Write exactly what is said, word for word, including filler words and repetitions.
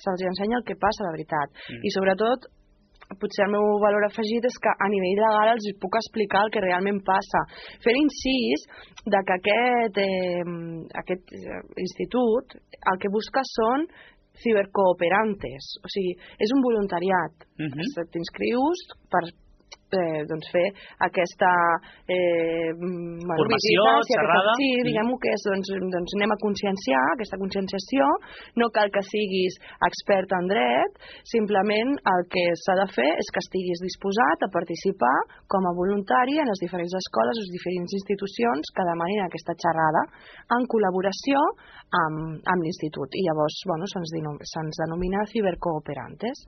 se'ls ensenya el que passa de veritat. Mm. I sobretot, potser el meu valor afegit és que a nivell legal els puc explicar el que realment passa. Fer incís de que aquest, eh, aquest institut el que busca són cibercooperantes, o sigui, és un voluntariat. Uh-huh. T'inscrius per eh, doncs fer aquesta eh, formació, xerrada. Sí, diguem-ho que és, doncs, doncs anem a conscienciar, aquesta conscienciació, no cal que siguis expert en dret, simplement el que s'ha de fer és que estiguis disposat a participar com a voluntari en les diferents escoles o les diferents institucions que demanin aquesta xerrada en col·laboració amb, amb l'institut. I llavors, bueno, se'ns denomina cibercooperantes.